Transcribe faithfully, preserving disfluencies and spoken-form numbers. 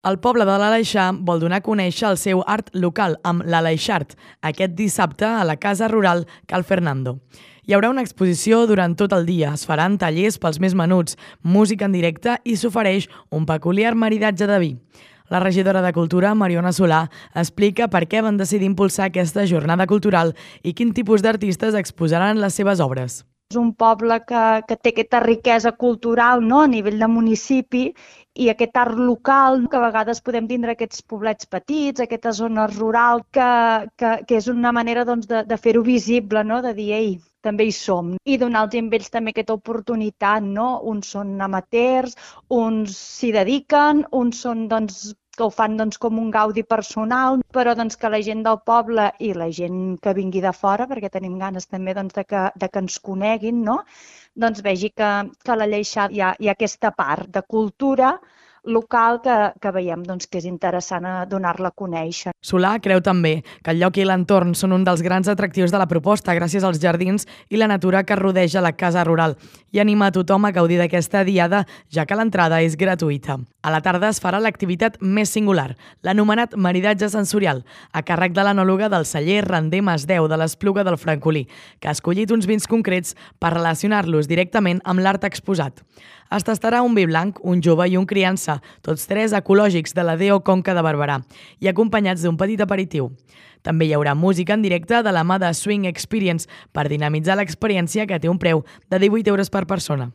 El poble de l'Aleixar vol donar a conèixer el seu art local amb l'Aleixart aquest dissabte a la Casa Rural Cal Fernando. Hi haurà una exposició durant tot el dia, es faran tallers pels més menuts, música en directe i s'ofereix un peculiar maridatge de vi. La regidora de Cultura, Mariona Solà, explica per què van decidir impulsar aquesta jornada cultural i quin tipus d'artistes exposaran les seves obres. És un poble que, que té aquesta riquesa cultural, no?, a nivell de municipi, i aquest art local, que a vegades podem tindre aquests poblets petits, aquesta zona rural, que, que, que és una manera doncs, de, de fer-ho visible, no?, de dir, ei, també hi som. I donar als ells també aquesta oportunitat, no? Uns són amateurs, uns s'hi dediquen, uns són, doncs, que ho fan doncs, com un gaudi personal, però doncs, que la gent del poble i la gent que vingui de fora, perquè tenim ganes també doncs, de, que, de que ens coneguin, no? Doncs vegi que, que a l'Aleixar hi ha, hi ha aquesta part de cultura local que, que veiem doncs, que és interessant donar-la a conèixer. Solà creu també que el lloc i l'entorn són un dels grans atractius de la proposta gràcies als jardins i la natura que rodeja la casa rural i anima a tothom a gaudir d'aquesta diada, ja que l'entrada és gratuïta. A la tarda es farà l'activitat més singular, l'anomenat maridatge sensorial, a càrrec de l'anòloga del celler Render Masdeu de l'Espluga del Francolí, que ha escollit uns vins concrets per relacionar-los directament amb l'art exposat. Es tastarà un vi blanc, un jove i un criança, tots tres ecològics de la D O Conca de Barberà, i acompanyats d'un petit aperitiu. També hi haurà música en directe de la mà de Swing Experience per dinamitzar l'experiència, que té un preu de divuit euros per persona.